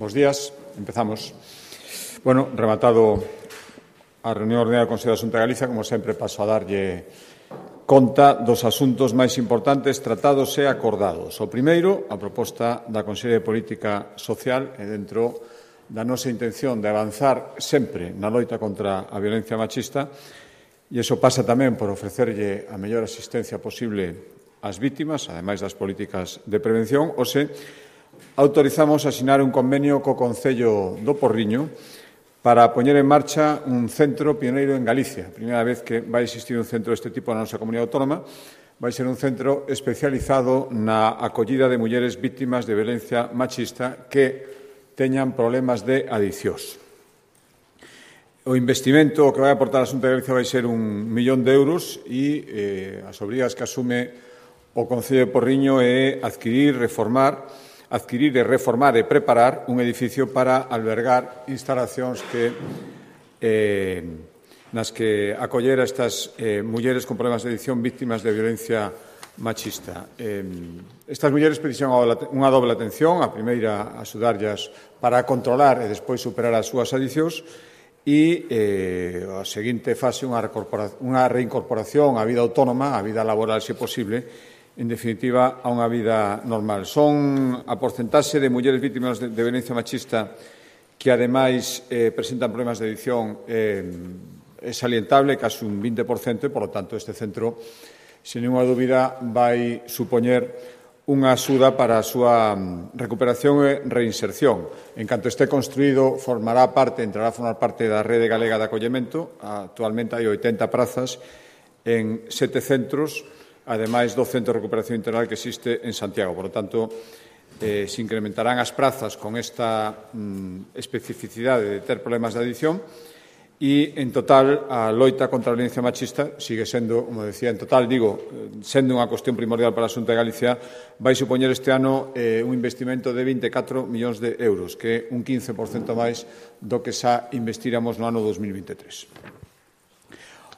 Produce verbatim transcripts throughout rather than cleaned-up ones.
Bos días, empezamos. Bueno, rematado a reunión ordinaria do Consello da Xunta de Galicia, como sempre paso a darlle conta dos asuntos máis importantes tratados e acordados. O primeiro, a proposta da Consellería de Política Social e dentro da nosa intención de avanzar sempre na loita contra a violencia machista, e iso pasa tamén por ofrecerlle a mellor asistencia posible ás vítimas, ademais das políticas de prevención. Ose, autorizamos a asinar un convenio co Concello do Porriño para poñer en marcha un centro pioneiro en Galicia. A primeira vez que vai existir un centro deste tipo na nosa comunidade autónoma, vai ser un centro especializado na acollida de mulleres vítimas de violencia machista que teñan problemas de adiccións. O investimento que vai aportar a Xunta de Galicia vai ser un millón de euros e eh, as obrigas que asume o Concello de Porriño é adquirir, reformar adquirir e reformar e preparar un edificio para albergar instalacións que, eh, nas que acoller a estas eh, mulleres con problemas de adicción víctimas de violencia machista. Eh, estas mulleres precisan unha doble atención, a primeira, axudarllas para controlar e despois superar as súas adiccións, e eh, a seguinte fase, unha, unha reincorporación á vida autónoma, á vida laboral, se posible, en definitiva, a unha vida normal. Son a porcentaxe de mulleres vítimas de, de violencia machista que, ademais, eh, presentan problemas de adicción eh, é salientable, casi un vinte por cento, e, por lo tanto, este centro, sen ninguna dúbida, vai supoñer unha axuda para a súa recuperación e reinserción. En canto este construído, formará parte, entrará a formar parte da Rede Galega de Acollemento. Actualmente hai oitenta prazas en sete centros, ademais do Centro de Recuperación Integral que existe en Santiago. Por lo tanto, eh, se incrementarán as prazas con esta mm, especificidade de ter problemas de adicción e, en total, a loita contra a violencia machista sigue sendo, como decía, en total, digo, sendo unha cuestión primordial para a Xunta de Galicia, vai supoñer este ano eh, un investimento de vinte e catro millóns de euros, que é un quince por cento máis do que xa investiramos no ano dos mil vinte e tres.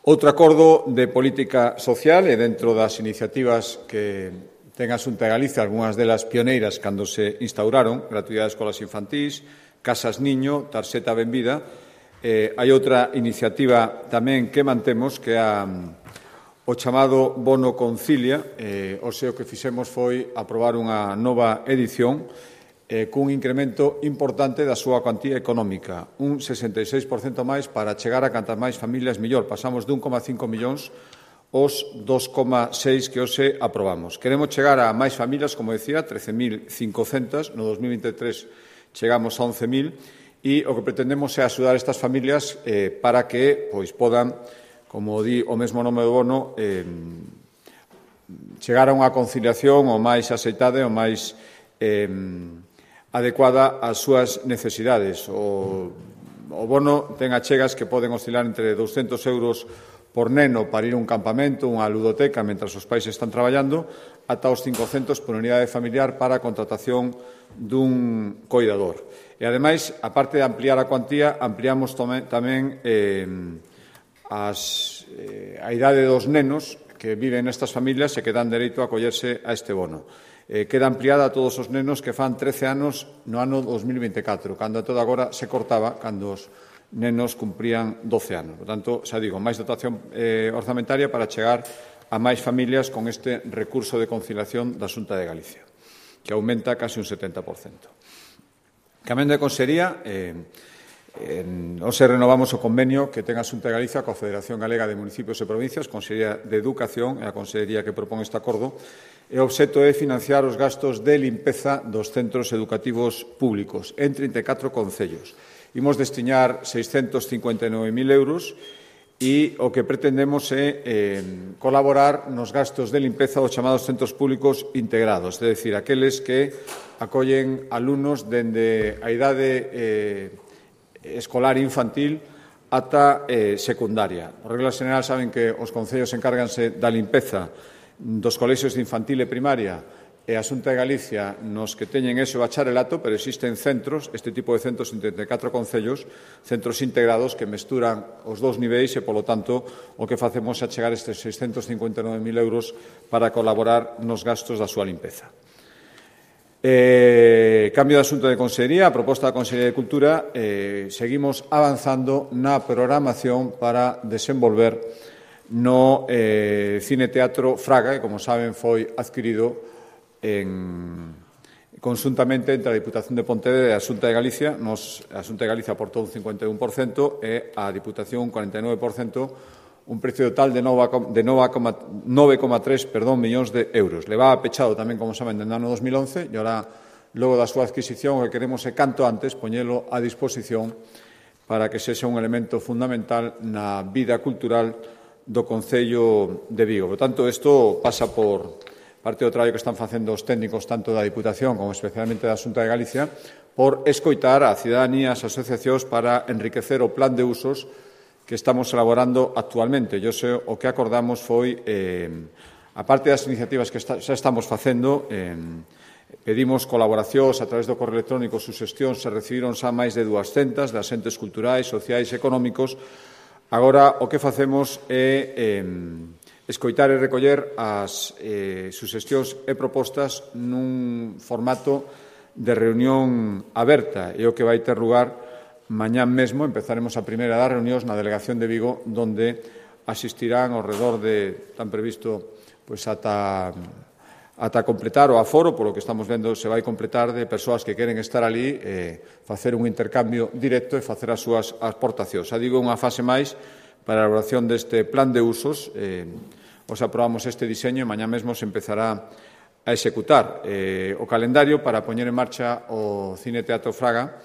Outro acordo de política social e dentro das iniciativas que ten a Xunta de Galicia, algunhas delas pioneiras cando se instauraron, gratuidade de escolas infantís, casas niño, tarxeta benvida. Eh, hai outra iniciativa tamén que mantemos que é a, o chamado Bono Concilia. Eh, o seu que fixemos foi aprobar unha nova edición eh, cun incremento importante da súa cuantía económica, un sesenta e seis por cento máis para chegar a cantas máis familias mellor. Pasamos de un coma cinco millóns aos dos coma seis que hoxe aprobamos. Queremos chegar a máis familias, como decía, trece mil cincocentas, no dos mil vinte e tres chegamos a once mil, e o que pretendemos é axudar estas familias eh, para que pois, podan, como di o mesmo nome do bono, eh, chegar a unha conciliación o máis aceitada e o máis eh, adecuada ás súas necesidades. O, o bono ten achegas que poden oscilar entre douscentos euros por neno para ir a un campamento, unha ludoteca, mentras os pais están traballando, ata os cincocentos por unidade familiar para a contratación dun coidador. E, ademais, a parte de ampliar a cuantía, ampliamos tamén eh, as, eh, a idade dos nenos que viven nestas familias e que dan dereito a acollerse a este bono. Eh, queda ampliada a todos os nenos que fan trece anos no ano dos mil vinte e catro, cando a toda agora se cortaba cando os nenos cumprían doce anos. Por tanto, xa digo, máis dotación eh, orzamentaria para chegar a máis familias con este recurso de conciliación da Xunta de Galicia, que aumenta casi un setenta por cento. Cambiando de consellería, eh, en, hoxe renovamos o convenio que ten a Xunta de Galicia coa Federación Galega de Municipios e Provincias, Consellería de Educación e a Consellería que propón este acordo, e o obxecto é financiar os gastos de limpeza dos centros educativos públicos en trinta e catro concellos. Imos destinar seiscentos cincuenta e nove mil euros e o que pretendemos é eh, colaborar nos gastos de limpeza dos chamados centros públicos integrados, é dicir, aqueles que acollen alumnos dende a idade eh, escolar infantil ata eh, secundaria. Por regla general, saben que os concellos encárganse da limpeza dos colexios de infantil e primaria e a Xunta de Galicia nos que teñen ese bacharelato, pero existen centros, este tipo de centros en trinta e catro concellos, centros integrados que mesturan os dous niveis e, polo tanto, o que facemos é chegar estes seiscentos cincuenta e nove mil euros para colaborar nos gastos da súa limpeza. Eh, cambio de asunto de Consellería, a proposta da Consellería de Cultura, eh, seguimos avanzando na programación para desenvolver no eh, Cine Teatro Fraga, que, como saben, foi adquirido en, conjuntamente entre a Diputación de Pontevedra e a Xunta de Galicia. Nos, a Xunta de Galicia aportou un cincuenta e un por cento e a Diputación un cuarenta e nove por cento, un precio total de nove coma tres millóns de euros. Levaba pechado tamén, como saben, dende o ano dos mil once e ahora, logo da súa adquisición, o que queremos é canto antes poñelo a disposición para que sexa un elemento fundamental na vida cultural do Concello de Vigo. Por tanto, isto pasa por parte do traballo que están facendo os técnicos tanto da Diputación como especialmente da Xunta de Galicia por escoitar a cidadanía, as asociacións para enriquecer o plan de usos que estamos elaborando actualmente. Yo sei, o que acordamos foi, eh, a parte das iniciativas que está, xa estamos facendo, eh, pedimos colaboracións a través do correo electrónico, suxestións, se recibiron xa máis de duascentas de asentes culturais, sociais e económicos. Agora, o que facemos é eh, escoitar e recoller as eh, suxestións e propostas nun formato de reunión aberta, e o que vai ter lugar mañán mesmo. Empezaremos a primeira das reunións na Delegación de Vigo, donde asistirán ao redor de, tan previsto, pois ata, ata completar o aforo, polo que estamos vendo se vai completar, de persoas que queren estar ali, eh, facer un intercambio directo e facer as súas aportacións. Xa digo, unha fase máis para a elaboración deste plan de usos. Eh, os aprobamos este diseño e mañá mesmo se empezará a executar eh, o calendario para poñer en marcha o Cine Teatro Fraga.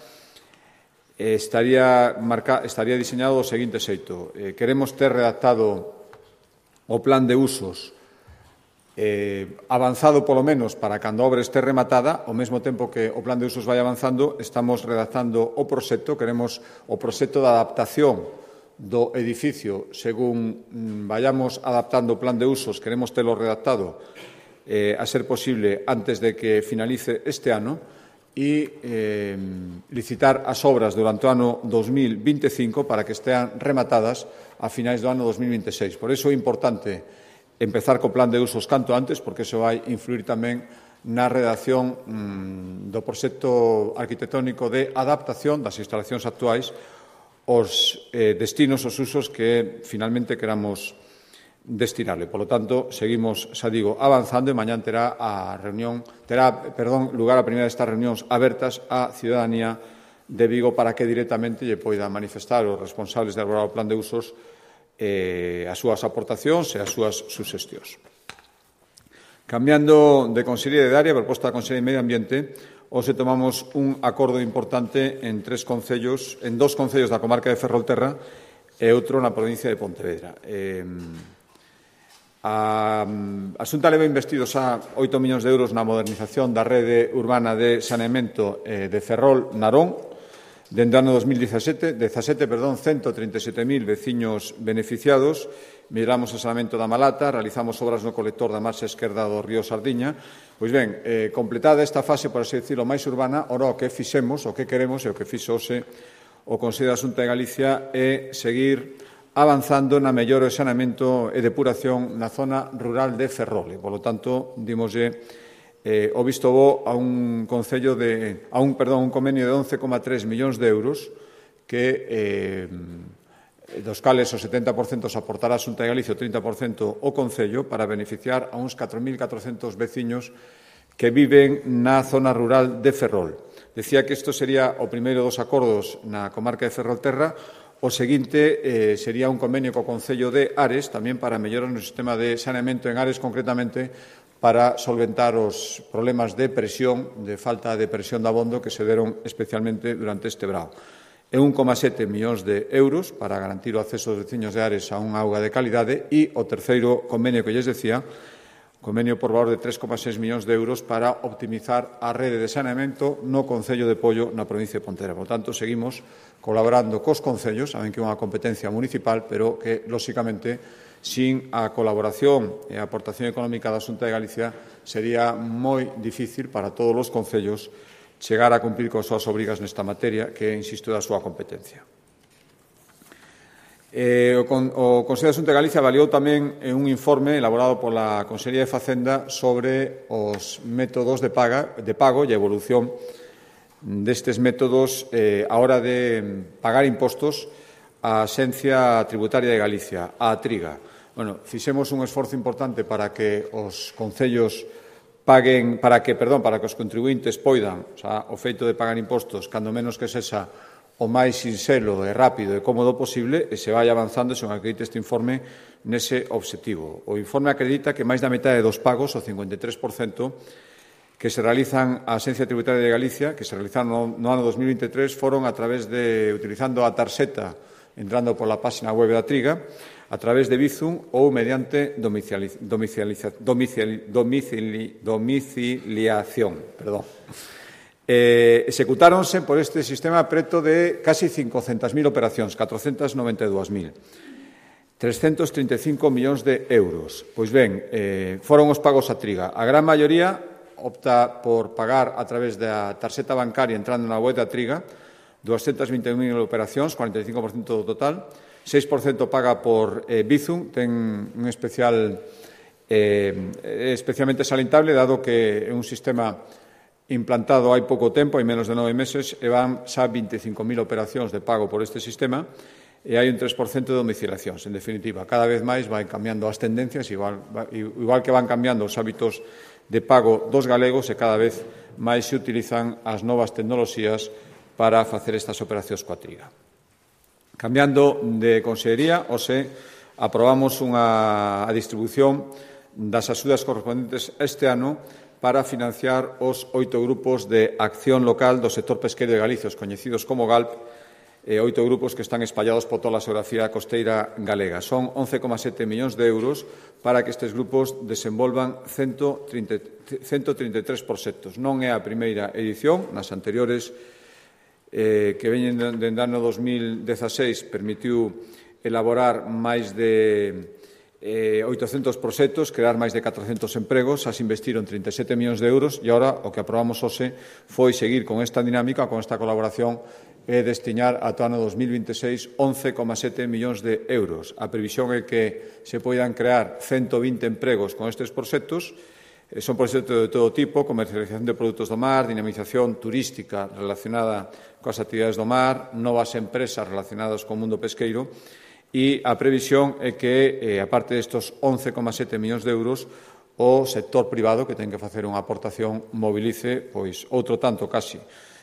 Estaría, marca, estaría diseñado do seguinte xeito. Eh, queremos ter redactado o plan de usos eh, avanzado polo menos para cando a obra este rematada. Ao mesmo tempo que o plan de usos vai avanzando, estamos redactando o proxecto. Queremos o proxecto de adaptación do edificio según mm, vayamos adaptando o plan de usos. Queremos telo redactado eh, a ser posible antes de que finalice este ano e eh, licitar as obras durante o ano dos mil vinte e cinco para que estean rematadas a finais do ano dos mil vinte e seis. Por iso é importante empezar co plan de usos canto antes, porque iso vai influir tamén na redacción mmm, do proxecto arquitectónico de adaptación das instalacións actuais aos eh, destinos, os usos que finalmente queramos destinarle. Por lo tanto, seguimos, xa digo, avanzando e mañán terá a reunión, terá, perdón, lugar a primeira destas reunións abertas á ciudadanía de Vigo para que directamente lle poida manifestar os responsables de elaborar o plan de usos eh, as súas aportacións e as súas suxestións. Cambiando de Consellería de área, proposta da Consellería de Medio Ambiente, hoxe tomamos un acordo importante en tres concellos, en dos concellos da comarca de Ferrolterra e outro na provincia de Pontevedra. Eh, A, a Xunta leva investidos a oito millóns de euros na modernización da rede urbana de saneamento eh, de Ferrol-Narón. Dende o ano dos mil dezasete, perdón, ciento trinta e sete mil veciños beneficiados. Miramos o saneamento da Malata, realizamos obras no colector da marxa esquerda do río Sardiña. Pois ben, eh, completada esta fase, por así decirlo, máis urbana, ora o que fixemos, o que queremos e o que fixo hoxe o Consello da Xunta de Galicia é seguir avanzando na mellora do saneamento e depuración na zona rural de Ferrol. E, polo tanto, dimoslle eh, o visto bo a un concello de a un, perdón, un convenio de once coma tres millóns de euros que eh, dos cales o setenta por cento se aportará a Xunta de Galicia, o trinta por cento o Concello, para beneficiar a uns catro mil catrocentos veciños que viven na zona rural de Ferrol. Decía que isto sería o primeiro dos acordos na comarca de Ferrolterra. O seguinte eh, sería un convenio co Concello de Ares, tamén para mellorar o sistema de saneamento en Ares, concretamente para solventar os problemas de presión, de falta de presión de abondo que se deron especialmente durante este verao. E un coma sete millóns de euros para garantir o acceso dos veciños de Ares a unha auga de calidade. E o terceiro convenio que lles decía, convenio por valor de tres coma seis millóns de euros para optimizar a rede de saneamento no Concello de Pollo na provincia de Pontevedra. Por tanto, seguimos colaborando cos concellos, saben que é unha competencia municipal, pero que, lóxicamente, sin a colaboración e a aportación económica da Xunta de Galicia sería moi difícil para todos os concellos chegar a cumprir con as súas obrigas nesta materia, que, insisto, é a súa competencia. Eh, o, con, o Consello de Xunta de Galicia avaliou tamén un informe elaborado pola Consellería de Facenda sobre os métodos de, paga, de pago e a evolución destes métodos eh, a hora de pagar impostos á Axencia Tributaria de Galicia, a Triga. Bueno, fixemos un esforzo importante para que os concellos paguen, para que, perdón, para que os contribuintes poidan, o sea, o feito de pagar impostos, cando menos que sexa o máis sinxelo e rápido e cómodo posible e se vai avanzando, se non acredita este informe, nese obxectivo. O informe acredita que máis da metade dos pagos, o cincuenta e tres por cento, que se realizan á Axencia Tributaria de Galicia, que se realizaron no, no ano dos mil vinte e tres, foron a través de, utilizando a tarxeta, entrando pola página web da Triga, a través de Bizum ou mediante domiciliación, domicili, domicili, domiciliación, perdón. Eh, executáronse por este sistema preto de casi cincocentas mil operacións, catrocentas noventa e dúas mil. trescentos trinta e cinco millóns de euros. Pois ben, eh, foron os pagos a Triga. A gran maioría opta por pagar a través da tarxeta bancaria entrando na web da Triga, doscientas vinte e un mil operacións, cuarenta e cinco por cento do total. seis por cento paga por eh, Bizum, ten un especial eh, especialmente salientable, dado que é un sistema implantado hai pouco tempo, hai menos de nove meses, e van xa vinte e cinco mil operacións de pago por este sistema e hai un tres por cento de domiciliacións. En definitiva, cada vez máis vai cambiando as tendencias, igual, igual que van cambiando os hábitos de pago dos galegos e cada vez máis se utilizan as novas tecnoloxías para facer estas operacións coa Triga. Cambiando de consellería, hoxe aprobamos unha, a distribución das axudas correspondentes este ano para financiar os oito grupos de acción local do sector pesqueiro de Galicia, os coñecidos como GALP, e oito grupos que están espallados por toda a xeografía costeira galega. Son once coma sete millóns de euros para que estes grupos desenvolvan ciento trinta e tres proxectos. Non é a primeira edición, nas anteriores eh, que veñen dende ano dos mil dezaseis permitiu elaborar máis de Eh, oitocentos proxectos, crear máis de catrocentos empregos, as investiron trinta e sete millóns de euros e agora o que aprobamos hoxe foi seguir con esta dinámica, con esta colaboración e destinar ata o ano dos mil vinte e seis once coma sete millóns de euros. A previsión é que se poidan crear ciento vinte empregos con estes proxectos. Eh, son proxectos de todo tipo, comercialización de produtos do mar, dinamización turística relacionada coas actividades do mar, novas empresas relacionadas co mundo pesqueiro. E a previsión é que, eh, aparte destos once coma sete millóns de euros, o sector privado, que ten que facer unha aportación, mobilice pois outro tanto, casi,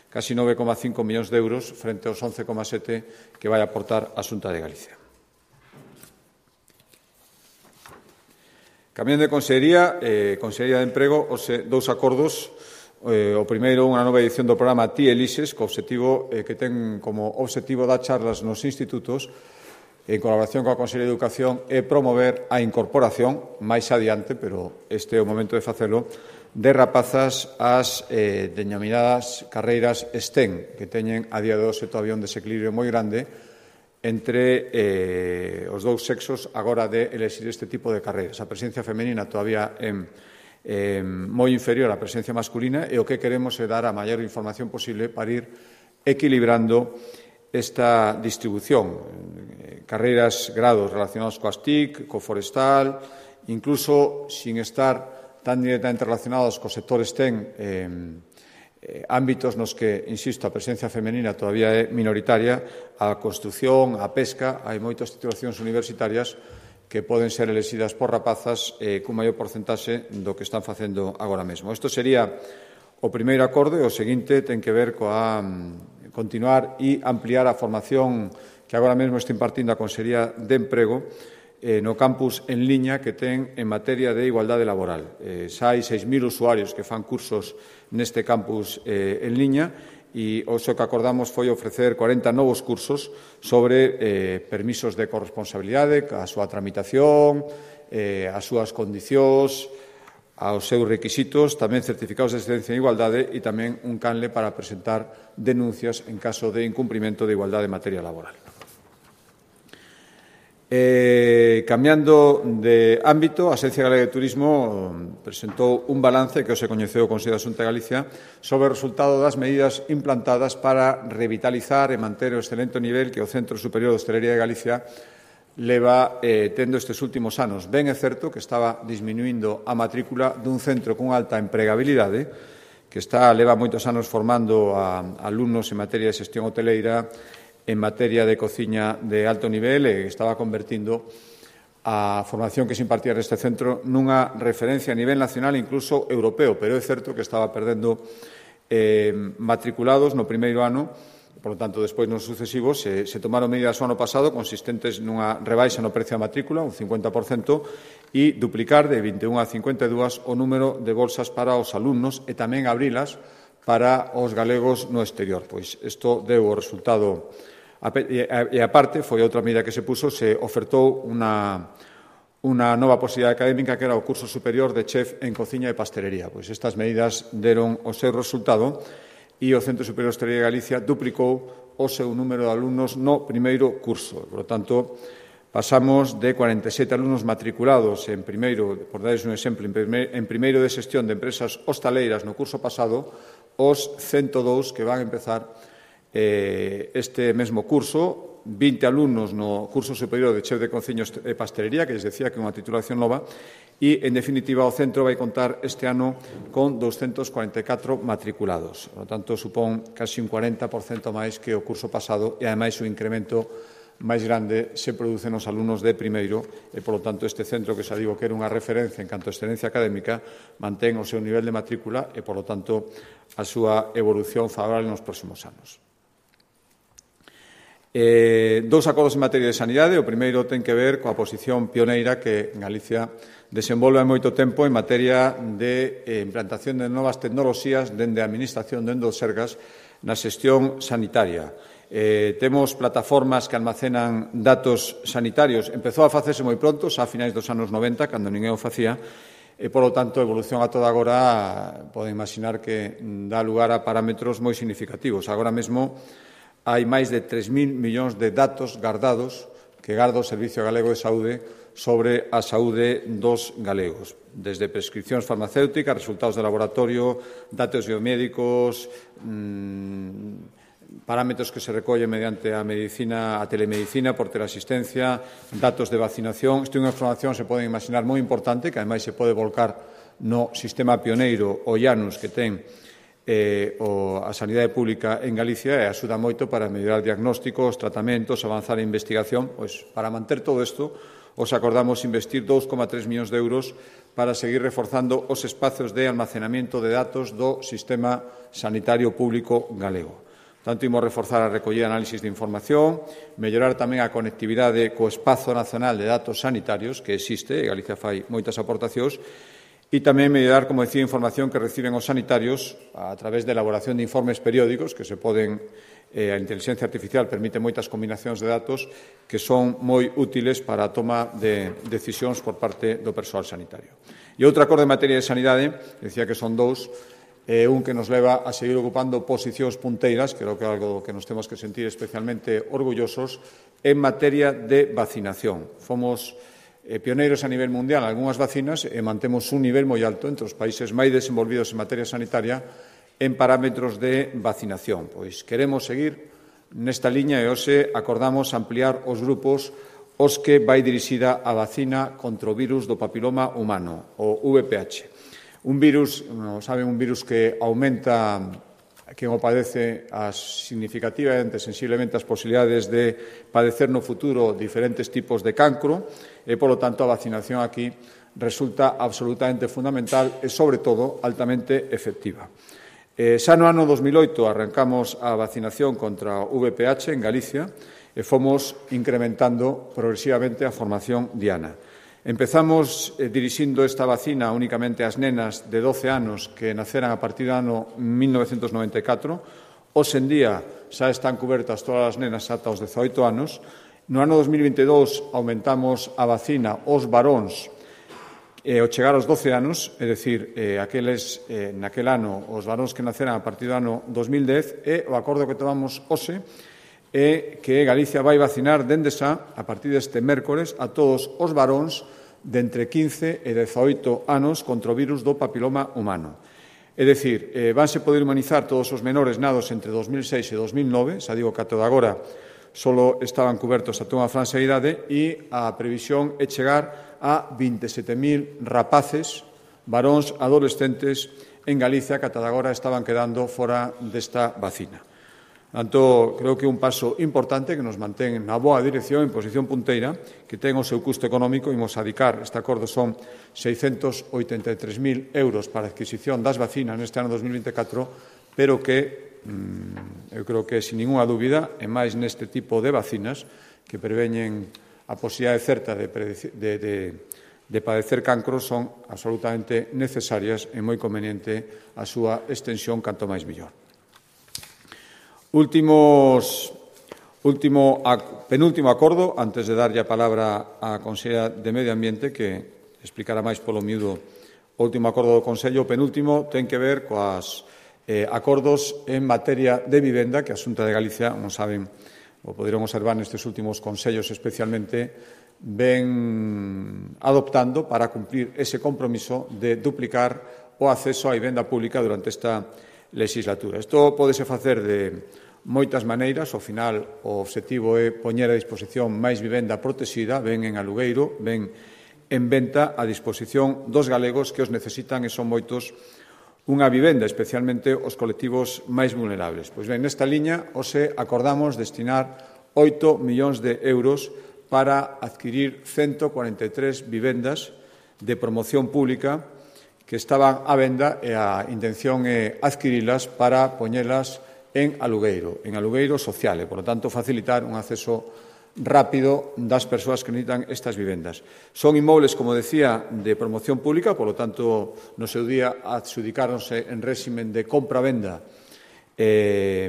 casi nove coma cinco millóns de euros frente aos once coma sete que vai aportar a Xunta de Galicia. Cambiando de consellería, eh, Consellería de Emprego, os dous acordos. Eh, o primeiro, unha nova edición do programa Ti Elises, co obxectivo, eh, que ten como obxectivo dar charlas nos institutos en colaboración coa Consellería de Educación e promover a incorporación máis adiante, pero este é o momento de facelo, de rapazas ás eh, denominadas carreiras STEM, que teñen a día de hoxe todavía un desequilibrio moi grande entre eh, os dous sexos agora de elexir este tipo de carreiras. A presencia femenina todavía é eh, moi inferior á presencia masculina e o que queremos é dar a maior información posible para ir equilibrando esta distribución. Carreiras, grados relacionados coas T I C, co forestal, incluso sin estar tan directamente relacionados co sector STEM, eh, eh, ámbitos nos que, insisto, a presencia femenina todavía é minoritaria, a construción, a pesca, hai moitas titulacións universitarias que poden ser elexidas por rapazas eh, cun maior porcentaxe do que están facendo agora mesmo. Isto sería o primeiro acordo e o seguinte ten que ver coa um, continuar e ampliar a formación que agora mesmo está impartindo a Consellería de Emprego eh, no campus en liña que ten en materia de igualdade laboral. Eh, xa hai seis mil usuarios que fan cursos neste campus eh, en liña e o que acordamos foi ofrecer cuarenta novos cursos sobre eh, permisos de corresponsabilidade, a súa tramitación, eh, as súas condicións, aos seus requisitos, tamén certificados de excelencia en igualdade e tamén un canle para presentar denuncias en caso de incumprimento de igualdade en materia laboral. Eh, cambiando de ámbito, a Axencia Galega de Turismo presentou un balance que hoxe coñeceu o Consello da Xunta de Galicia sobre o resultado das medidas implantadas para revitalizar e manter o excelente nivel que o Centro Superior de Hostelería de Galicia leva eh, tendo estes últimos anos. Ben é certo que estaba disminuindo a matrícula dun centro con alta empregabilidade, que está leva moitos anos formando a, a alumnos en materia de xestión hoteleira, en materia de cociña de alto nivel, e estaba convertindo a formación que se impartía neste centro nunha referencia a nivel nacional e incluso europeo, pero é certo que estaba perdendo eh, matriculados no primeiro ano. Por lo tanto, despois nos sucesivos se, se tomaron medidas o ano pasado consistentes nunha rebaixa no precio da matrícula, un cincuenta por cento, e duplicar de vinte e un a cincuenta e dúas o número de bolsas para os alumnos e tamén abrilas para os galegos no exterior. Pois isto deu o resultado. E, aparte, foi outra medida que se puso, se ofertou unha, unha nova posibilidade académica que era o curso superior de chef en cociña e pastelería. Pois estas medidas deron o seu resultado e o Centro Superior de Hostalería de Galicia duplicou o seu número de alumnos no primeiro curso. Por lo tanto, pasamos de cuarenta e sete alumnos matriculados en primeiro, por darles un exemplo, en primeiro de xestión de empresas hostaleiras no curso pasado, os ciento dous que van a empezar eh, este mesmo curso, vinte alumnos no curso superior de chef de cociña e pastelería, que les decía que é unha titulación nova, e, en definitiva, o centro vai contar este ano con doscientos cuarenta e catro matriculados. Por lo tanto, supón casi un cuarenta por cento máis que o curso pasado e, ademais, o incremento máis grande se produce nos alumnos de primeiro e, por lo tanto, este centro, que xa digo que era unha referencia en canto a excelencia académica, mantén o seu nivel de matrícula e, por lo tanto, a súa evolución favorable nos próximos anos. Eh, dous acordos en materia de sanidade. O primeiro ten que ver coa posición pioneira que Galicia desenvolve hai moito tempo en materia de eh, implantación de novas tecnoloxías dende a Administración, dende os Sergas, na xestión sanitaria. Eh, temos plataformas que almacenan datos sanitarios. Empezou a facerse moi pronto, xa a finais dos anos noventa, cando ninguén o facía, e, polo tanto, a evolución a toda agora poden imaginar que dá lugar a parámetros moi significativos. Agora mesmo hai máis de tres mil millóns de datos gardados que garda o Servicio Galego de Saúde sobre a saúde dos galegos, desde prescripcións farmacéuticas, resultados de laboratorio, datos biomédicos, mmm, parámetros que se recollen mediante a medicina, a telemedicina por teleasistencia, datos de vacinación. Isto é unha información, se pode imaginar, moi importante, que ademais se pode volcar no sistema pioneiro o IANUS que ten eh, o, a sanidade pública en Galicia e axuda moito para mellorar diagnósticos, tratamentos, avanzar a investigación. Pois, para manter todo isto, os acordamos investir dous coma tres millóns de euros para seguir reforzando os espazos de almacenamento de datos do sistema sanitario público galego. Tanto, imos reforzar a recollida e análisis de información, mellorar tamén a conectividade co espazo nacional de datos sanitarios que existe, e Galicia fai moitas aportacións, e tamén mellorar, como decía, a información que reciben os sanitarios a través de elaboración de informes periódicos que se poden, eh, a inteligencia artificial permite moitas combinacións de datos que son moi útiles para a toma de decisións por parte do persoal sanitario. E outro acordo en materia de sanidade, decía que son dous, eh, un que nos leva a seguir ocupando posicións punteiras, creo que é algo que nos temos que sentir especialmente orgullosos, en materia de vacinación. Fomos Eh, pioneiros a nivel mundial en algunhas vacinas e mantemos un nivel moi alto entre os países máis desenvolvidos en materia sanitaria en parámetros de vacinación. Pois queremos seguir nesta liña e hoxe acordamos ampliar os grupos os que vai dirixida a vacina contra o virus do papiloma humano, o V P H. Un virus, non saben, un virus que aumenta quen o padece as significativamente, sensiblemente, as posibilidades de padecer no futuro diferentes tipos de cancro e, polo tanto, a vacinación aquí resulta absolutamente fundamental e, sobre todo, altamente efectiva. Eh, xa no ano dos mil oito arrancamos a vacinación contra o V P H en Galicia e fomos incrementando progresivamente a formación diana. Empezamos eh, dirixindo esta vacina únicamente ás nenas de doce anos que naceran a partir do ano mil novecentos noventa e catro. Hoxe en día xa están cubertas todas as nenas ata os dezaoito anos. No ano dos mil vinte e dous aumentamos a vacina aos varóns eh, ao chegar aos doce anos, é dicir, eh, aqueles, eh, naquel ano, os varóns que naceran a partir do ano dos mil dez, e o acordo que tomamos hoxe é que Galicia vai vacinar dende xa, a partir deste mércores, a todos os varóns de entre quince e dezaoito anos contra o virus do papiloma humano. É dicir, eh, vanse poder inmunizar todos os menores nados entre dos mil seis e dos mil nove, xa digo que ata agora só estaban cubertos ata unha franxa de idade e a previsión é chegar a vinte e sete mil rapaces, varóns adolescentes en Galicia que ata agora estaban quedando fora desta vacina. Tanto, creo que é un paso importante que nos mantén na boa dirección, en posición punteira, que ten o seu custo económico. Imos adicar, este acordo son seiscentos oitenta e tres mil euros para a adquisición das vacinas neste ano dos mil vinte e catro, pero que, mmm, eu creo que, sin ninguna dúbida, e máis neste tipo de vacinas que preveñen a posibilidade certa de, de, de, de padecer cancro, son absolutamente necesarias e moi conveniente a súa extensión canto máis mellor. Últimos, último, penúltimo acordo, antes de darlle a palabra á Conselleira de Medio Ambiente, que explicará máis polo miúdo o último acordo do Consello. O penúltimo ten que ver coas eh, acordos en materia de vivenda que a Xunta de Galicia, como saben, o poderon observar nestes últimos consellos especialmente, ven adoptando para cumplir ese compromiso de duplicar o acceso á vivenda pública durante esta legislatura. Isto pódese facer de moitas maneiras. Ao final, o obxectivo é poñer a disposición máis vivenda protexida, ben en alugueiro, ben en venta a disposición dos galegos que os necesitan, e son moitos, unha vivenda, especialmente os colectivos máis vulnerables. Pois ben, nesta liña, hoxe acordamos destinar oito millóns de euros para adquirir ciento cuarenta e tres vivendas de promoción pública que estaban á venda, e a intención é adquirilas para poñelas en alugueiro, en alugueiro social, e, por lo tanto, facilitar un acceso rápido das persoas que necesitan estas vivendas. Son inmobles, como decía, de promoción pública, por lo tanto, no seu día adxudicáronse en réximen de compra-venda eh,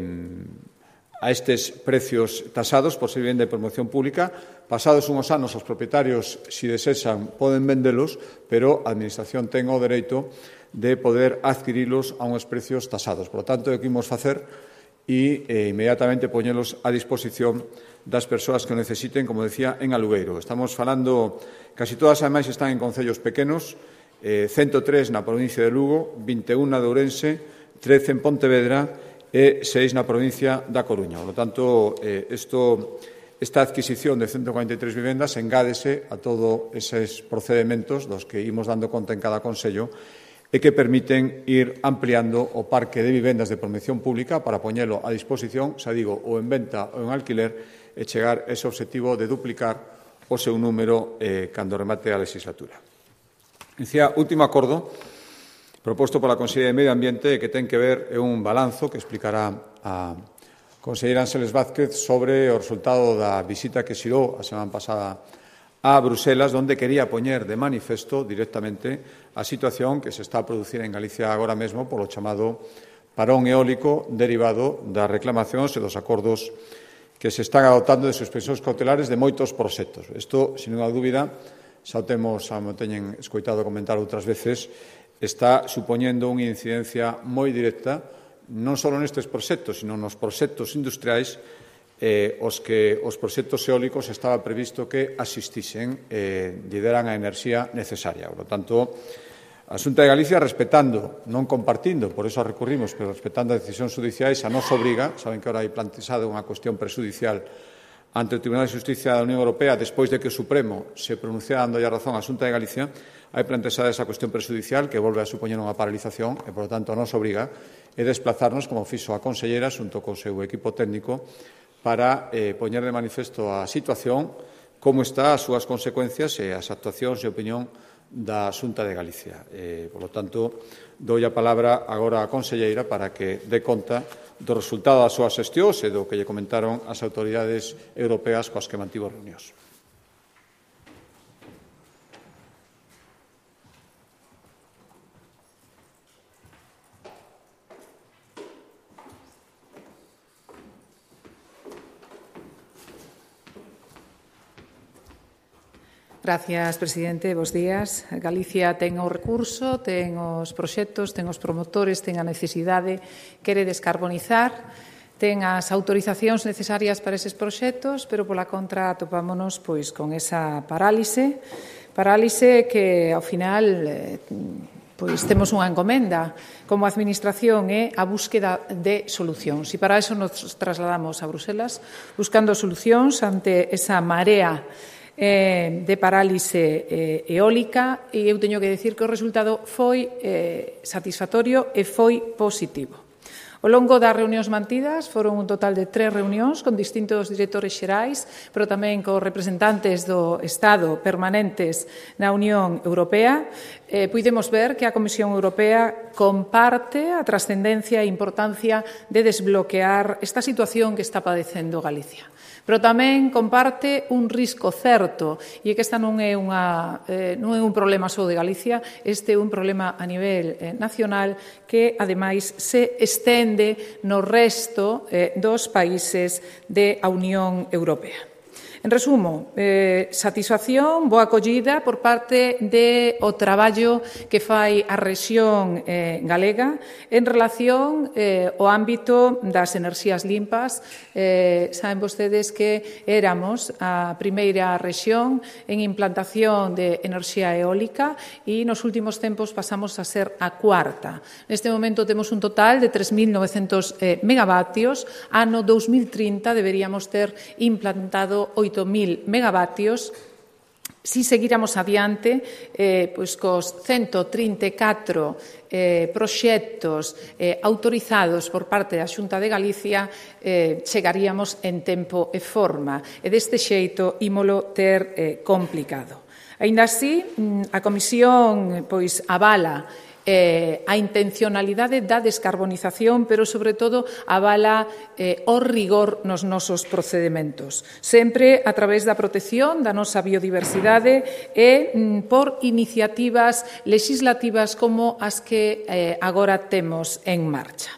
a estes precios tasados por ser vivenda de promoción pública. Pasados unhos anos, os propietarios, se desexan, poden vendelos, pero a Administración ten o dereito de poder adquirilos a uns precios tasados. Por lo tanto, o que imos facer e eh, inmediatamente poñelos a disposición das persoas que o necesiten, como decía, en alugueiro. Estamos falando, casi todas, ademais, están en concellos pequenos, eh, ciento tres na provincia de Lugo, vinte e un na de Ourense, trece en Pontevedra e seis na provincia da Coruña. Por lo tanto, eh, esto, esta adquisición de ciento cuarenta e tres vivendas engádese a todos eses procedementos dos que imos dando conta en cada concello, e que permiten ir ampliando o parque de vivendas de promoción pública para poñelo a disposición, xa digo, ou en venta ou en alquiler, e chegar a ese obxectivo de duplicar o seu número eh, cando remate a legislatura. Dicía, último acordo proposto pola Conselleira de Medio Ambiente, que ten que ver é un balanzo que explicará a Conselleira Ángeles Vázquez sobre o resultado da visita que xirou a semana pasada a Bruselas, onde quería poñer de manifesto directamente a situación que se está a producir en Galicia agora mesmo polo chamado parón eólico derivado das reclamacións e dos acordos que se están adoptando de suspensións cautelares de moitos proxectos. Isto, sin ninguna dúbida, xa o temos, xa mo teñen escoitado comentar outras veces, está supoñendo unha incidencia moi directa non só nestes proxectos, sino nos proxectos industriais eh, os que os proxectos eólicos estaba previsto que asistisen e lle deran a enerxía necesaria. Por lo tanto, a Xunta de Galicia, respetando, non compartindo, por eso recurrimos, pero respetando as decisións judiciais, a nos obriga, saben que ahora hai plantexado unha cuestión prexudicial ante o Tribunal de Xusticia da Unión Europea, despois de que o Supremo se pronunciara dando a razón á Xunta de Galicia, hai plantexada esa cuestión prexudicial que volve a supoñer unha paralización e, por lo tanto, nos obriga a desplazarnos, como fixo a Consellera, xunto co seu equipo técnico, para eh, poñer de manifesto a situación, como está, as súas consecuencias e as actuacións e opinión da Xunta de Galicia. Eh, por lo tanto, dou a palabra agora á Conselleira para que dé conta do resultado das súas xestións e do que lle comentaron as autoridades europeas coas que mantivo reunións. Gracias, presidente. Bos días. Galicia ten o recurso, ten os proxectos, ten os promotores, ten a necesidade, quere descarbonizar, ten as autorizacións necesarias para eses proxectos, pero pola contra topámonos pois con esa parálise, parálise que ao final eh, pois temos unha encomenda como Administración é a búsqueda de solucións. E para eso nos trasladamos a Bruselas buscando solucións ante esa marea eh, de parálise eh, eólica, e eu teño que decir que o resultado foi eh, satisfactorio e foi positivo. Ao longo das reunións mantidas foron un total de tres reunións con distintos directores xerais, pero tamén con representantes do Estado permanentes na Unión Europea. Eh, puidemos ver que a Comisión Europea comparte a trascendencia e importancia de desbloquear esta situación que está padecendo Galicia. Pero tamén comparte un risco certo, e que esta non é, unha, eh, non é un problema só de Galicia, este é un problema a nivel eh, nacional que, ademais, se estende no resto eh, dos países da Unión Europea. En resumo, eh, satisfacción, boa acollida por parte do traballo que fai a rexión eh, galega en relación eh, ao ámbito das enerxías limpas. Eh, saben vostedes que éramos a primeira rexión en implantación de enerxía eólica e nos últimos tempos pasamos a ser a cuarta. Neste momento temos un total de tres mil novecentos eh, megavatios. Ano dos mil trinta deberíamos ter implantado oito mil megavatios. Si seguíramos adiante, eh, pois cos cento trinta e catro eh, proxectos eh, autorizados por parte da Xunta de Galicia, eh, chegaríamos en tempo e forma, e deste xeito ímolo ter eh, complicado. Aínda así, a Comisión pois avala Eh, a intencionalidade da descarbonización, pero, sobre todo, avala eh, o rigor nos nosos procedementos, sempre a través da protección da nosa biodiversidade e mm, por iniciativas legislativas como as que eh, agora temos en marcha.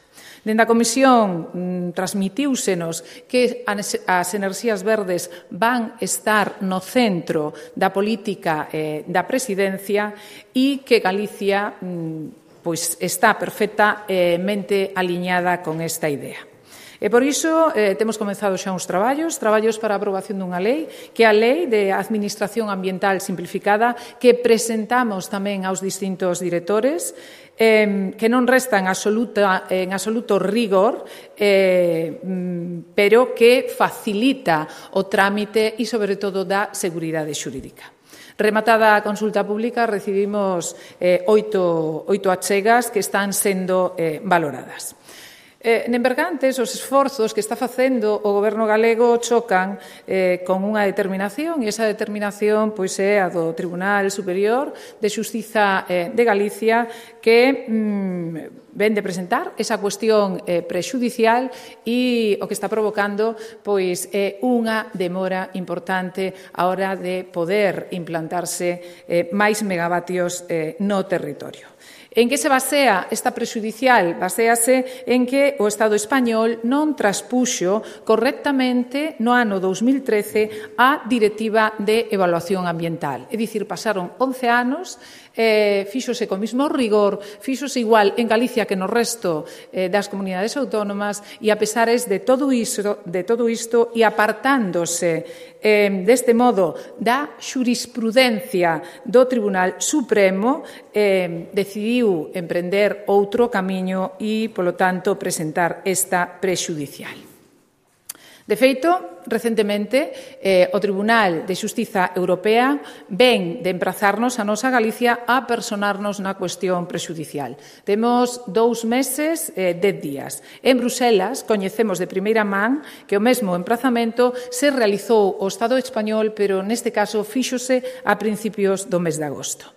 Dende a Comisión mm, transmitiúsenos que as enerxías verdes van estar no centro da política eh, da Presidencia e que Galicia mm, pois está perfectamente aliñada con esta idea. E por iso eh, temos comezado xa uns traballos, traballos para a aprobación dunha lei, que é a Lei de Administración Ambiental Simplificada, que presentamos tamén aos distintos directores, eh, que non resta en, absoluta, en absoluto rigor, eh, pero que facilita o trámite e, sobre todo, dá seguridade xurídica. Rematada a consulta pública, recibimos eh, oito, oito achegas que están sendo eh, valoradas. Eh, en Bergantes, os esforzos que está facendo o Goberno galego chocan eh, con unha determinación, e esa determinación pois, é a do Tribunal Superior de Xustiza eh, de Galicia, que mm, ven de presentar esa cuestión eh, prexudicial, e o que está provocando pois, é unha demora importante á hora de poder implantarse eh, máis megavatios eh, no territorio. En que se basea esta prexudicial? Baséase en que o Estado español non traspuxo correctamente no ano dos mil trece a Directiva de Evaluación Ambiental. É dicir, pasaron once anos, eh, fíxose co mismo rigor, fíxose igual en Galicia que no resto eh, das comunidades autónomas, e a pesares de todo isto, de todo isto e apartándose eh, deste modo da xurisprudencia do Tribunal Supremo, eh, decidiu emprender outro camiño e, polo tanto, presentar esta prexudicial. De feito, recentemente, eh, o Tribunal de Xustiza Europea ven de emprazarnos a nosa Galicia a personarnos na cuestión prexudicial. Temos dous meses, eh, dez días. En Bruselas, coñecemos de primeira man que o mesmo emprazamento se realizou o Estado español, pero neste caso fíxose a principios do mes de agosto.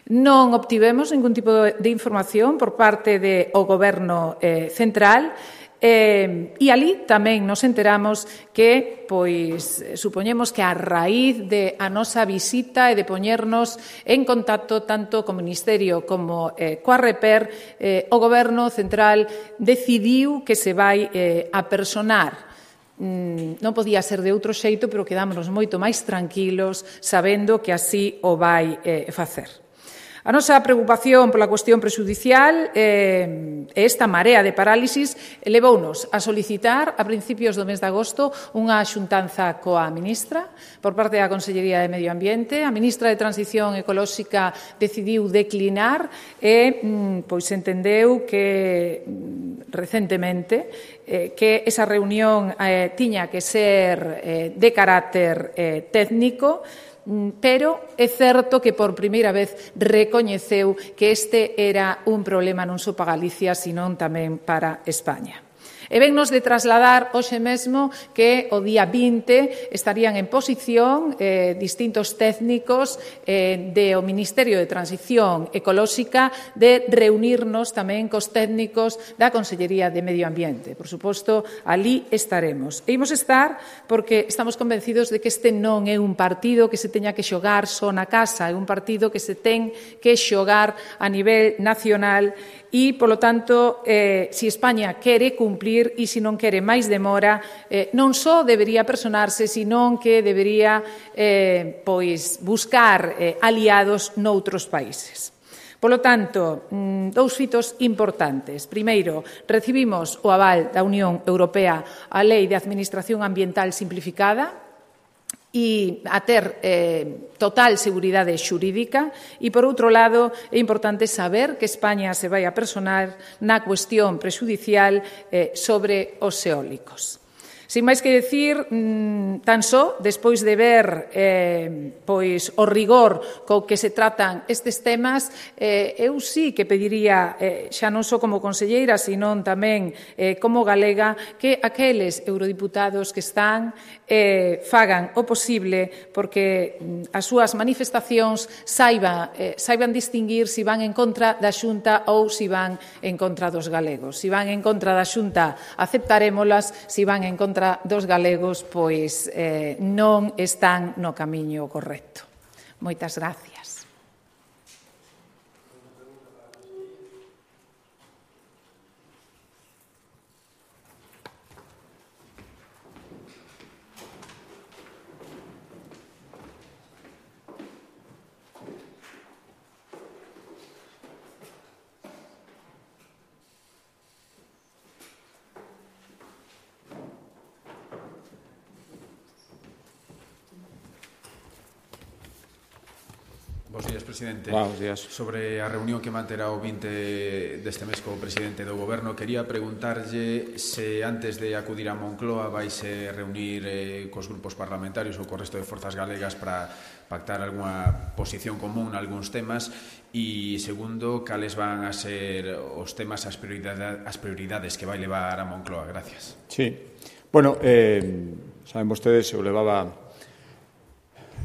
Non obtivemos ningún tipo de información por parte do Goberno eh, central, Eh, e ali tamén nos enteramos que, pois, supoñemos que a raíz de a nosa visita e de poñernos en contacto tanto co Ministerio como eh, coa Reper, eh, o Goberno central decidiu que se vai eh, a personar. Mm, non podía ser de outro xeito, pero quedámonos moito máis tranquilos sabendo que así o vai eh, facer. A nosa preocupación pola cuestión prexudicial e eh, esta marea de parálisis levounos a solicitar a principios do mes de agosto unha xuntanza coa ministra por parte da Consellería de Medio Ambiente. A ministra de Transición Ecolóxica decidiu declinar e pois entendeu que recentemente eh, que esa reunión eh, tiña que ser eh, de carácter eh, técnico, pero é certo que por primeira vez recoñeceu que este era un problema non só para Galicia, senón tamén para España. E vennos de trasladar hoxe mesmo que o día vinte estarían en posición eh, distintos técnicos eh, do Ministerio de Transición Ecolóxica de reunirnos tamén cos técnicos da Consellería de Medio Ambiente. Por suposto, ali estaremos. E imos estar porque estamos convencidos de que este non é un partido que se teña que xogar só na casa, é un partido que se ten que xogar a nivel nacional e, polo tanto, eh, se España quere cumplir e se non quere máis demora, eh, non só debería personarse, senón que debería eh, pois buscar eh, aliados noutros países. Polo tanto, dous fitos importantes. Primeiro, recibimos o aval da Unión Europea á Lei de Administración Ambiental Simplificada, e a ter eh, total seguridade xurídica e, por outro lado, é importante saber que España se vai a personar na cuestión prexudicial eh, sobre os eólicos. Sin máis que decir, tan só, despois de ver eh, pois, o rigor co que se tratan estes temas, eh, eu sí que pediría, eh, xa non só como conselleira, senón tamén eh, como galega, que aqueles eurodiputados que están eh, fagan o posible porque as súas manifestacións saiba, eh, saiban distinguir se van en contra da Xunta ou se van en contra dos galegos. Se van en contra da Xunta, aceptarémolas, se van en contra dos galegos, pois eh, non están no camiño correcto. Moitas gracias. Bos días, presidente. Buenos días. Sobre a reunión que manterá o vinte deste mes co presidente do Goberno, quería preguntarlle se antes de acudir a Moncloa vaise reunir eh, cos grupos parlamentarios ou co resto de forzas galegas para pactar algunha posición común nalgúns temas e, segundo, cales van a ser os temas, as prioridades, as prioridades que vai levar a Moncloa. Gracias. Sí. Bueno, eh, saben vostedes, eu levaba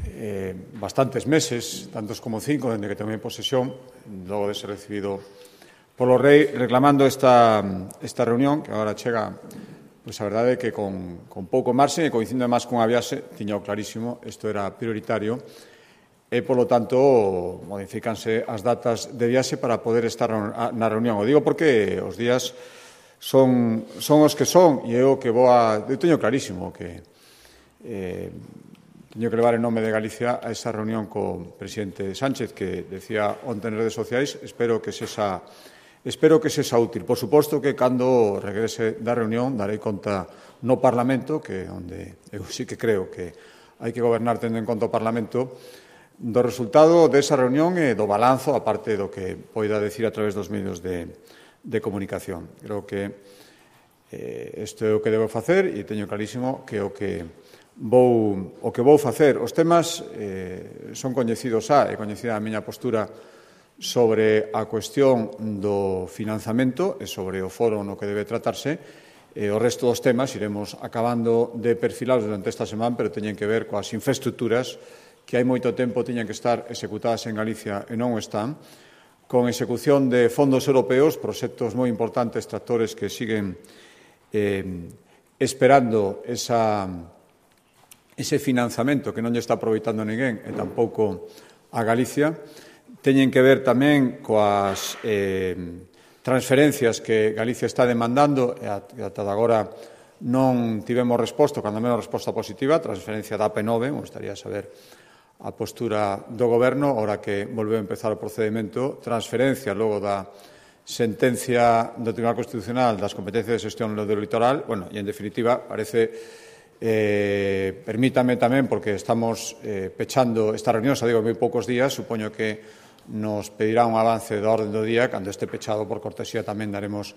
Eh, bastantes meses, tantos como cinco, dende que tomei posesión, logo de ser recibido polo rei, reclamando esta, esta reunión, que agora chega, pois a verdade é que con, con pouco marxe e coincidindo máis cunha viaxe, tiña o clarísimo, isto era prioritario, e, polo tanto, modifícanse as datas de viaxe para poder estar na reunión. O digo porque os días son, son os que son, e eu que vou a... Eu teño clarísimo que... Eh, Teño que levar en nome de Galicia a esa reunión co presidente Sánchez que decía onte en redes sociais. Espero que sexa, espero que sexa útil. Por suposto que cando regrese da reunión darei conta no Parlamento, que onde eu sí que creo que hai que gobernar tendo en conta o Parlamento, do resultado desa reunión e do balanzo, aparte do que poida decir a través dos medios de, de comunicación. Creo que eh, isto é o que debo facer e teño clarísimo que o que Vou, o que vou facer. Os temas eh, son coñecidos xa, é coñecida a miña postura sobre a cuestión do financiamento e sobre o foro no que debe tratarse. E o resto dos temas iremos acabando de perfilados durante esta semana, pero teñen que ver coas infraestructuras que hai moito tempo tiñan que estar executadas en Galicia e non o están, con execución de fondos europeos, proxectos moi importantes, tractores que siguen eh, esperando esa... ese financiamento que non lle está aproveitando ninguén e tampouco a Galicia. Teñen que ver tamén coas eh, transferencias que Galicia está demandando e ata agora non tivemos resposta, cando menos resposta positiva, transferencia da A P nove, me gustaría saber a postura do Goberno, ora que volveu a empezar o procedimento, transferencia logo da sentencia do Tribunal Constitucional das competencias de xestión do litoral, bueno, e en definitiva, parece, eh, permítame tamén, porque estamos eh, pechando esta reunión, xa digo, moi poucos días, supoño que nos pedirá un avance da orden do día, cando este pechado por cortesía tamén daremos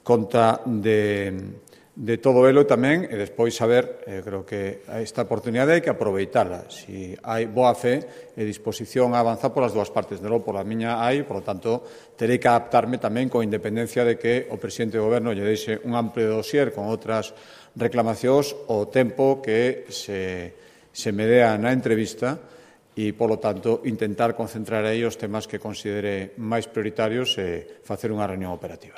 conta de... de todo elo tamén, e despois saber, eh, creo que esta oportunidade hai que aproveitala. Si hai boa fe e disposición a avanzar polas dúas partes, de logo pola miña hai, por lo tanto, terei que adaptarme tamén con independencia de que o presidente do Goberno lle deixe un amplio dossier con outras reclamacións o tempo que se, se me dea na entrevista e, polo tanto, intentar concentrar aí os temas que considere máis prioritarios e facer unha reunión operativa.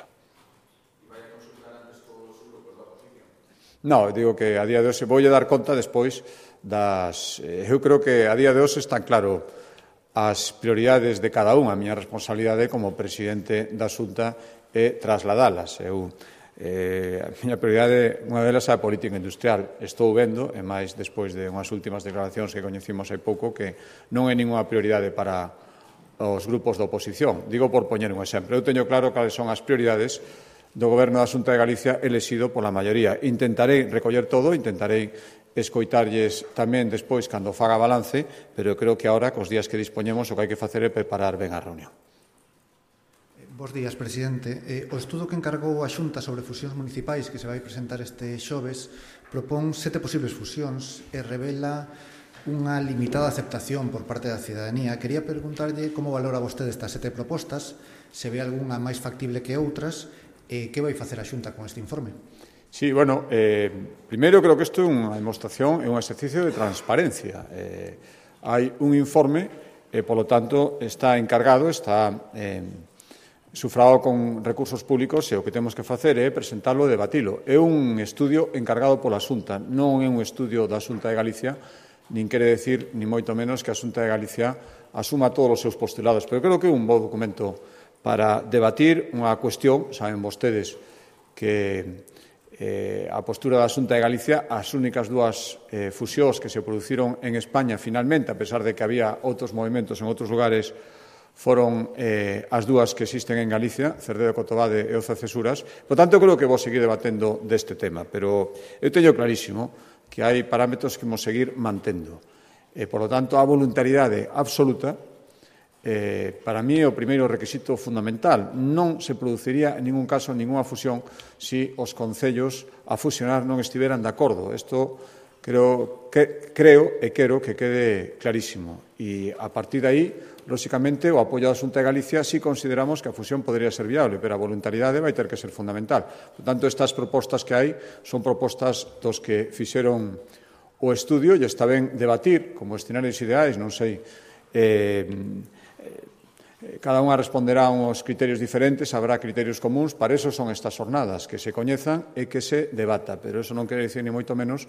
No, digo que a día de hoxe vou dar conta despois das... Eh, eu creo que a día de hoxe están claro as prioridades de cada un. A miña responsabilidade como presidente da Xunta é trasladalas. Eu, eh, a miña prioridade, unha delas é a política industrial. Estou vendo, e máis despois de unhas últimas declaracións que coñecimos hai pouco, que non é ninguna prioridade para os grupos da oposición. Digo por poñer un exemplo. Eu teño claro cales son as prioridades do Goberno da Xunta de Galicia elexido pola maioría. Intentarei recoller todo, intentarei escoitarlles tamén despois cando faga balance, pero eu creo que agora, cos días que dispoñemos, o que hai que facer é preparar ben a reunión. Bos días, presidente. Eh, o estudo que encargou a Xunta sobre fusións municipais que se vai presentar este xoves propón sete posibles fusións e revela unha limitada aceptación por parte da cidadanía. Quería preguntarlle como valora vostede estas sete propostas, se ve algunha máis factible que outras, e que vai facer a Xunta con este informe? Sí, bueno, eh, primeiro creo que isto é unha demostración, é un exercicio de transparencia. Eh, hai un informe e, polo tanto, está encargado, está eh, sufragado con recursos públicos e o que temos que facer é presentarlo e debatilo. É un estudio encargado pola Xunta, non é un estudio da Xunta de Galicia, nin quere decir, ni moito menos, que a Xunta de Galicia asuma todos os seus postulados, pero creo que é un bo documento para debatir unha cuestión. Saben vostedes que eh, a postura da Xunta de Galicia, as únicas dúas eh, fusións que se produciron en España finalmente, a pesar de que había outros movimentos en outros lugares, foron eh, as dúas que existen en Galicia, Cerdedo Cotobade e Oza Cesuras. Por tanto, creo que vou seguir debatendo deste tema, pero eu teño clarísimo que hai parámetros que vamos seguir mantendo. E, por lo tanto, a voluntariedade absoluta, Eh, para mí é o primeiro requisito fundamental. Non se produciría en ningún caso ninguna fusión se os concellos a fusionar non estiveran de acordo. Isto creo, que, creo e quero que quede clarísimo. E a partir de aí, lóxicamente, o apoio da Xunta de Galicia si consideramos que a fusión podría ser viable, pero a voluntariedade vai ter que ser fundamental. Por tanto, estas propostas que hai son propostas dos que fixeron o estudio e está ben debatir como escenarios ideais, non sei... Eh, Cada unha responderá a uns criterios diferentes, habrá criterios comuns, para eso son estas jornadas, que se coñezan e que se debata, pero eso non quere dicir ni moito menos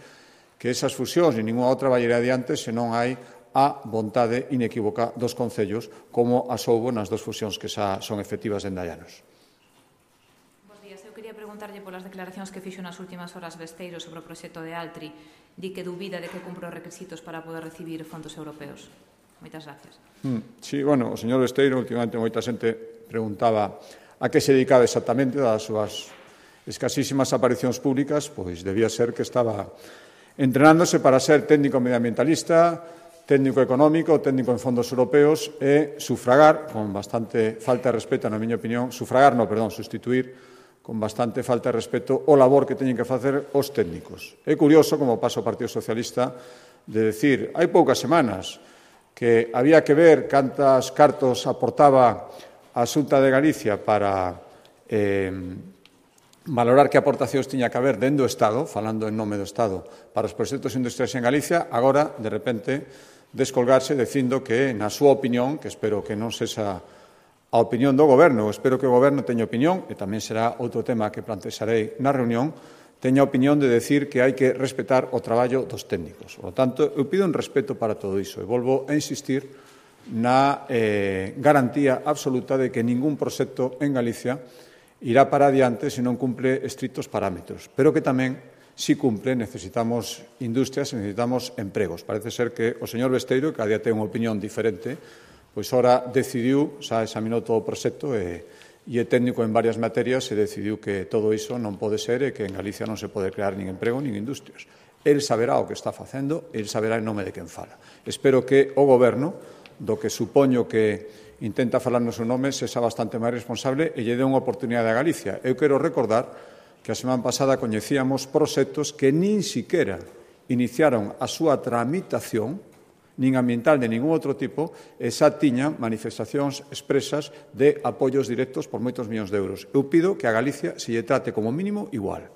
que esas fusións ni ninguna outra vai ir adiante se non hai a vontade inequívoca dos concellos, como as houbo nas dos fusións que xa son efectivas en Dallanos. Bos días, eu quería preguntarlle polas declaracións que fixo nas últimas horas Besteiro sobre o proxecto de Altri, di que dubida de que cumpre os requisitos para poder recibir fondos europeos. Moitas gracias. Mm, sí, bueno, o señor Besteiro, últimamente moita xente preguntaba a que se dedicaba exactamente das súas escasísimas aparicións públicas, pois debía ser que estaba entrenándose para ser técnico medioambientalista, técnico económico, técnico en fondos europeos e sufragar, con bastante falta de respeto, na miña opinión, sufragar, no, perdón, sustituir con bastante falta de respeto o labor que teñen que facer os técnicos. É curioso como pasa o Partido Socialista de decir, hai poucas semanas, que había que ver cantas cartos aportaba a Xunta de Galicia para eh, valorar que aportacións tiña que haber dentro do Estado, falando en nome do Estado, para os proxectos industriais en Galicia, agora, de repente, descolgarse dicindo que, na súa opinión, que espero que non sexa a opinión do Goberno, espero que o Goberno teña opinión, e tamén será outro tema que plantexarei na reunión, teña a opinión de decir que hai que respetar o traballo dos técnicos. Por lo tanto, eu pido un respeto para todo iso e volvo a insistir na eh, garantía absoluta de que ningún proxecto en Galicia irá para adiante se non cumple estritos parámetros, pero que tamén si cumpre, necesitamos industrias e necesitamos empregos. Parece ser que o señor Besteiro, que a día ten unha opinión diferente, pois ora decidiu, xa examinou todo o proxecto e, e é técnico en varias materias e decidiu que todo iso non pode ser e que en Galicia non se pode crear nin emprego nin industrias. El saberá o que está facendo, el saberá en nome de quen fala. Espero que o Goberno, do que supoño que intenta falar no seu nome, sexa bastante máis responsable e lle dé unha oportunidade a Galicia. Eu quero recordar que a semana pasada coñecíamos proxectos que nin siquera iniciaron a súa tramitación, nin ambiental de ningún outro tipo, e xa tiñan manifestacións expresas de apoios directos por moitos millóns de euros. Eu pido que a Galicia se lle trate como mínimo igual.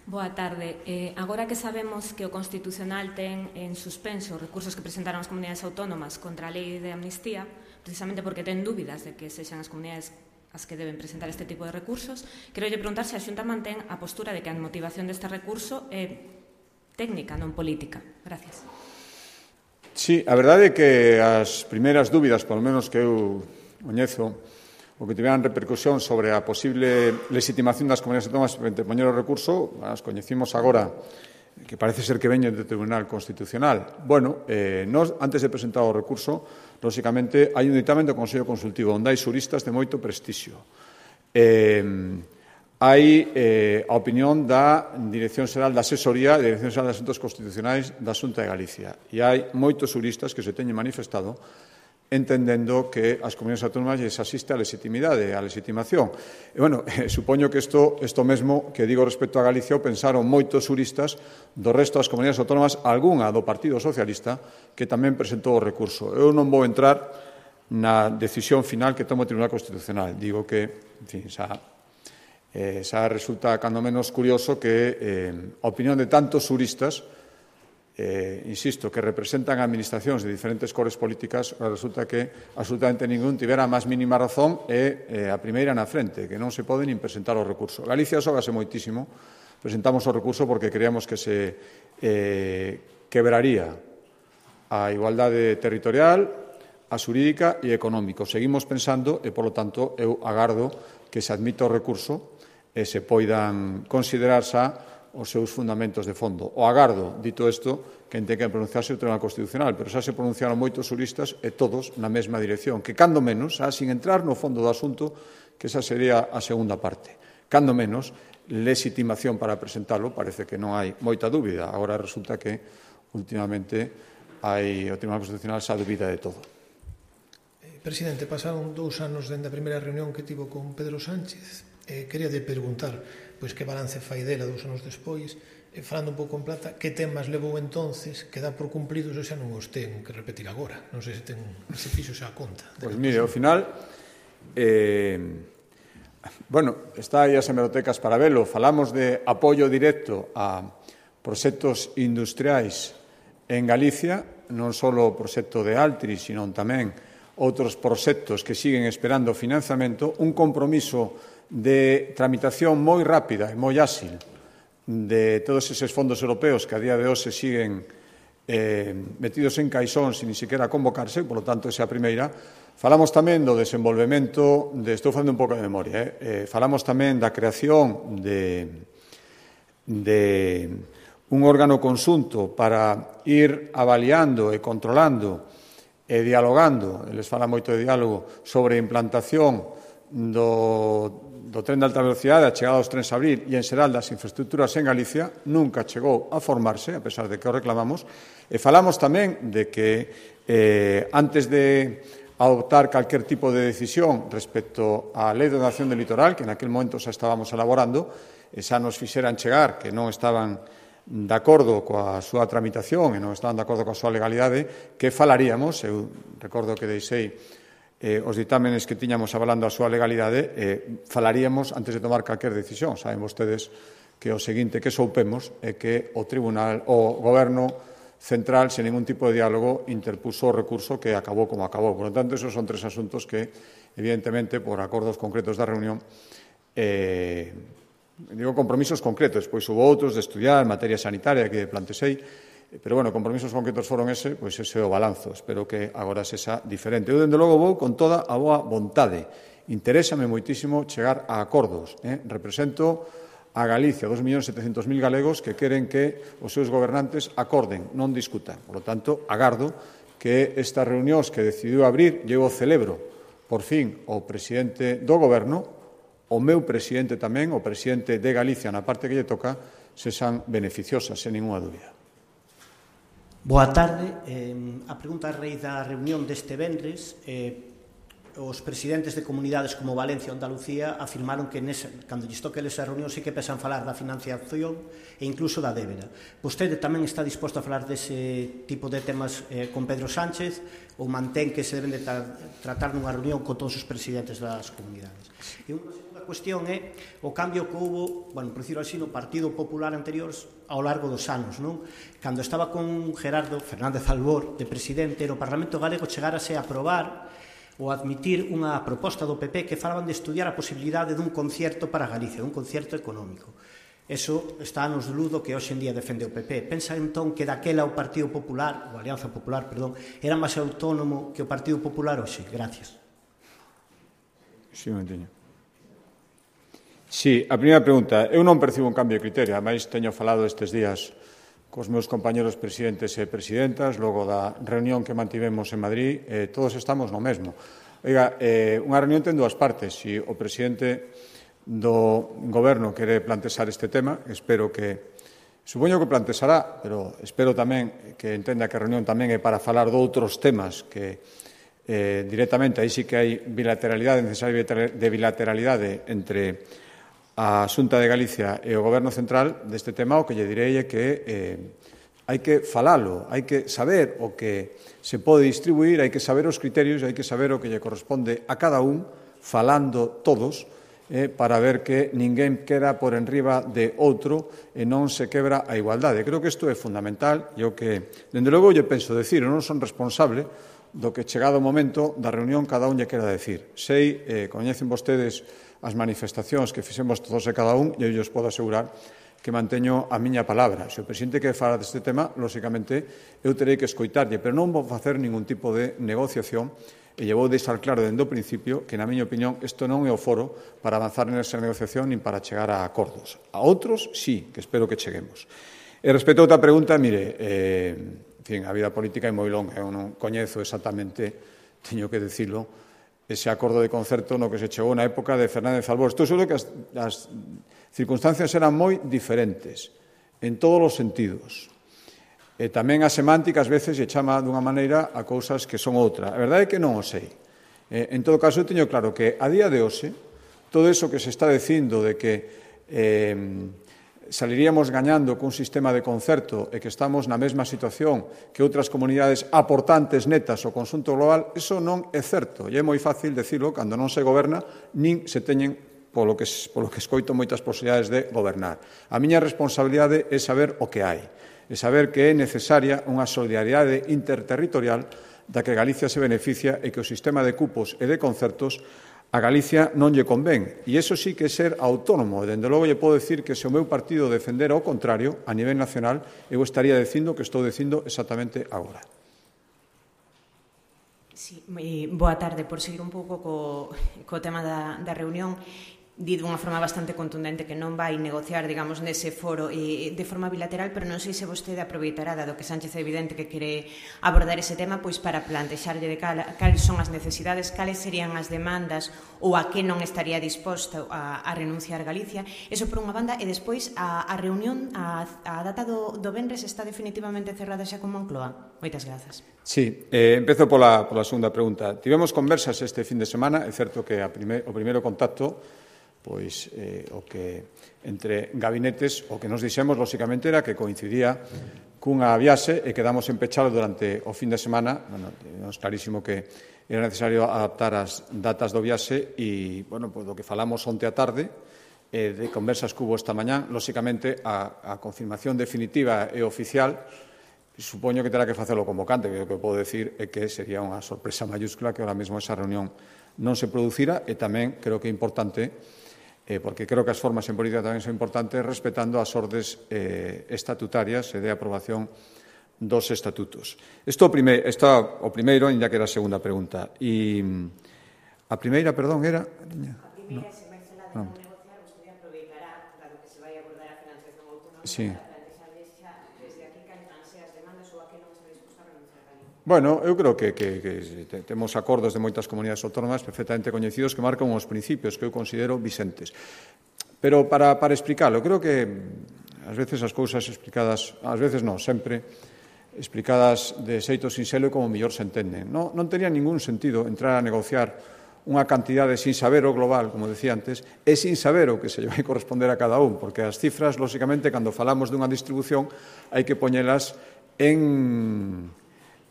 Boa tarde. Eh, agora que sabemos que o Constitucional ten en suspenso os recursos que presentaron as comunidades autónomas contra a lei de amnistía, precisamente porque ten dúbidas de que sexan as comunidades as que deben presentar este tipo de recursos, quero lle preguntar se a Xunta mantén a postura de que a motivación deste recurso é técnica, non política. Gracias. Sí, a verdade é que as primeiras dúbidas, polo menos que eu coñezo, o que tiveran repercusión sobre a posible legitimación das comunidades autónomas para interpoñer o recurso, as coñecimos agora, que parece ser que veñen do Tribunal Constitucional. Bueno, eh, nos, antes de presentar o recurso, lóxicamente, hai un ditame do Consello Consultivo onde hai xuristas de moito prestixio. Eh, hai eh, a opinión da Dirección Xeral da Asesoría e da Dirección Xeral de Asuntos Constitucionais da Xunta de Galicia. E hai moitos xuristas que se teñen manifestado entendendo que as comunidades autónomas lles asiste a legitimidade, a legitimación. E, bueno, eh, supoño que isto, isto mesmo que digo respecto a Galicia o pensaron moitos xuristas do resto das comunidades autónomas, algunha do Partido Socialista, que tamén presentou o recurso. Eu non vou entrar na decisión final que toma o Tribunal Constitucional. Digo que, en fin, xa, eh, xa resulta cando menos curioso que eh, a opinión de tantos xuristas, Eh, insisto, que representan administracións de diferentes cores políticas, resulta que absolutamente ningún tivera a máis mínima razón e eh, a primeira na frente, que non se pode nin presentar o recurso. Galicia xógase moitísimo, presentamos o recurso porque creíamos que se eh, quebraría a igualdade territorial, a xurídica e económico. Seguimos pensando e, polo tanto, eu agardo que se admita o recurso e se poidan considerar xa os seus fundamentos de fondo. O agardo, dito isto, que ten que pronunciarse o Tribunal Constitucional, pero xa se pronunciaron moitos xuristas e todos na mesma dirección, que cando menos, xa, sin entrar no fondo do asunto, que esa sería a segunda parte. Cando menos, legitimación para presentalo, parece que non hai moita dúbida. Agora resulta que, últimamente, hai, o Tribunal Constitucional xa dúbida de todo. Presidente, pasaron dous anos dende a primeira reunión que tivo con Pedro Sánchez. Eh, quería de preguntar pois que balance fai dela dous anos despois, e falando un pouco en plata, que temas levou entonces que dá por cumplidos ou xa non os ten que repetir agora? Non sei se ten se fixo xa a conta. Pois mire, ao final, eh, bueno, está aí as hemerotecas para velo. Falamos de apoio directo a proxectos industriais en Galicia, non só o proxecto de Altri, sino tamén outros proxectos que siguen esperando financiamento, un compromiso de tramitación moi rápida e moi áxil de todos eses fondos europeos que a día de hoxe siguen eh, metidos en caixón sin ni siquiera convocarse, por lo tanto, esa primeira. Falamos tamén do desenvolvemento, de, estou falando un pouco de memoria, eh, eh, falamos tamén da creación de, de un órgano conxunto para ir avaliando e controlando e dialogando, eles falan moito de diálogo, sobre a implantación do do tren de alta velocidade, a chegada dos trens a abrir e en xeral das infraestructuras en Galicia, nunca chegou a formarse, a pesar de que o reclamamos, e falamos tamén de que eh, antes de adoptar calquer tipo de decisión respecto á Lei de Ordenación del Litoral, que en aquel momento xa estábamos elaborando, e xa nos fixeran chegar que non estaban de acordo coa súa tramitación e non estaban de acordo coa súa legalidade, que falaríamos, eu recordo que deixei Eh, os ditámenes que tiñamos avalando a súa legalidade, eh, falaríamos antes de tomar calquer decisión. Saben vostedes que o seguinte que soupemos é que o Tribunal, o Goberno Central, sen ningún tipo de diálogo, interpuso o recurso que acabou como acabou. Por lo tanto, esos son tres asuntos que, evidentemente, por acordos concretos da reunión, eh, digo compromisos concretos, pois hubo outros de estudiar materia sanitaria que plantexei, pero, bueno, compromisos concretos foron ese, pois ese é o balanzo. Espero que agora sexa diferente. Eu, dende logo, vou con toda a boa vontade. Interésame moitísimo chegar a acordos. Eh? Represento a Galicia, dos millóns setecentos mil galegos que queren que os seus gobernantes acorden, non discutan. Por lo tanto, agardo que estas reunións que decidiu abrir, eu o celebro, por fin, o presidente do Goberno, o meu presidente tamén, o presidente de Galicia, na parte que lle toca, se san beneficiosas, sen ninguna dúbida. Boa tarde. Eh, a pregunta a raíz da reunión deste venres, eh, os presidentes de comunidades como Valencia ou Andalucía afirmaron que nesa, cando lles toque esa reunión sí que pesan falar da financiación e incluso da débeda. Vostede tamén está disposto a falar dese tipo de temas eh, con Pedro Sánchez ou mantén que se deben de tra tratar nunha reunión con todos os presidentes das comunidades? E unha segunda cuestión é o cambio que houve, bueno, por decirlo así, no Partido Popular anterior ao largo dos anos, non? Cando estaba con Gerardo Fernández Albor de presidente, no Parlamento Galego chegárase a aprobar ou admitir unha proposta do P P que falaban de estudiar a posibilidade dun concierto para Galicia, dun concierto económico. Eso está nos ludo que hoxe en día defende o P P. Pensa entón que daquela o Partido Popular, ou a Alianza Popular, perdón, era máis autónomo que o Partido Popular hoxe? Gracias. Sí, Montiño. Sí, a primeira pregunta. Eu non percibo un cambio de criterio. Ademais, teño falado estes días cos meus compañeros presidentes e presidentas, logo da reunión que mantivemos en Madrid, eh, todos estamos no mesmo. Oiga, eh, unha reunión ten dúas partes. Se o presidente do Goberno quere plantexar este tema, espero que, supoño que plantexará, pero espero tamén que entenda que a reunión tamén é para falar de outros temas que eh, directamente, aí sí que hai bilateralidade, necesaria de bilateralidade entre a Xunta de Galicia e o Goberno Central deste tema. O que lle direi é que eh, hai que falalo, hai que saber o que se pode distribuir, hai que saber os criterios, hai que saber o que lle corresponde a cada un, falando todos, eh, para ver que ninguén queda por enriba de outro e non se quebra a igualdade. Creo que isto é fundamental e o que, dende logo, lle penso decir, eu non son responsable do que chegado o momento da reunión cada un lle quera decir. Sei, eh, coñecen vostedes as manifestacións que fixemos todos e cada un, e eu os podo asegurar que manteño a miña palabra. Se o presidente quere falar deste tema, lóxicamente, eu terei que escoitarlle, pero non vou facer ningún tipo de negociación e lle vou deixar claro dende o principio que, na miña opinión, isto non é o foro para avanzar nesa negociación nin para chegar a acordos. A outros, sí, que espero que cheguemos. E respecto a outra pregunta, mire, eh, en fin, a vida política é moi longa, eu non coñezo exactamente, teño que decirlo, ese acordo de concerto no que se chegou na época de Fernández Albor. Estou seguro que as, as circunstancias eran moi diferentes en todos os sentidos. E tamén a semántica ás veces lle chama dunha maneira a cousas que son outra. A verdade é que non o sei. Eh, en todo caso, eu teño claro que a día de hoxe todo eso que se está dicindo de que eh, saliríamos gañando cun sistema de concerto e que estamos na mesma situación que outras comunidades aportantes netas ao conxunto global, eso non é certo. E é moi fácil dicilo cando non se goberna, nin se teñen, polo que, polo que escoito, moitas posibilidades de gobernar. A miña responsabilidade é saber o que hai, é saber que é necesaria unha solidariedade interterritorial da que Galicia se beneficia e que o sistema de cupos e de concertos a Galicia non lle convén. E iso sí que é ser autónomo. E, dende logo, lle podo decir que se o meu partido defendera o contrario, a nivel nacional, eu estaría dicindo que estou dicindo exactamente agora. Sí, boa tarde. Por seguir un pouco co, co tema da, da reunión, di dunha forma bastante contundente que non vai negociar, digamos, nese foro e de forma bilateral, pero non sei se vostede aproveitará, dado que Sánchez é evidente que quere abordar ese tema, pois para plantexarlle de cal, cales son as necesidades, cales serían as demandas ou a que non estaría disposto a, a renunciar Galicia. Eso por unha banda, e despois a, a reunión, a, a data do, do venres está definitivamente cerrada xa con Moncloa. Moitas grazas. Sí, eh, empezo pola, pola segunda pregunta. Tivemos conversas este fin de semana, é certo que a prime, o primeiro contacto pois eh, o que entre gabinetes o que nos dixemos, lóxicamente, era que coincidía cunha viaxe e quedamos empechados durante o fin de semana. Bueno, é clarísimo que era necesario adaptar as datas do viaxe e, bueno, pois do que falamos onte a tarde, eh, de conversas que hubo esta mañán, lóxicamente, a, a confirmación definitiva e oficial, supoño que terá que facelo o convocante, que o que podo decir é que sería unha sorpresa mayúscula que ahora mesmo esa reunión non se producira, e tamén creo que é importante, Eh, porque creo que as formas en política tamén son importantes, respetando as ordes eh, estatutarias e de aprobación dos estatutos. Isto prime, está o primeiro, ainda que era a segunda pregunta. E a primeira, perdón, era... A primeira, se vai falar de non negociar, vostede aproveitará, dado que se vai Sí. Bueno, eu creo que, que, que temos acordos de moitas comunidades autónomas perfectamente coñecidos que marcan os principios que eu considero vixentes. Pero para, para explicarlo, creo que ás veces as cousas explicadas, ás veces non, sempre explicadas de xeito sinxelo e como mellor se entenden. Non, non tenía ningún sentido entrar a negociar unha cantidade sin saber o global, como decía antes, e sin saber o que se lle vai corresponder a cada un, porque as cifras, lóxicamente, cando falamos dunha distribución, hai que poñelas en...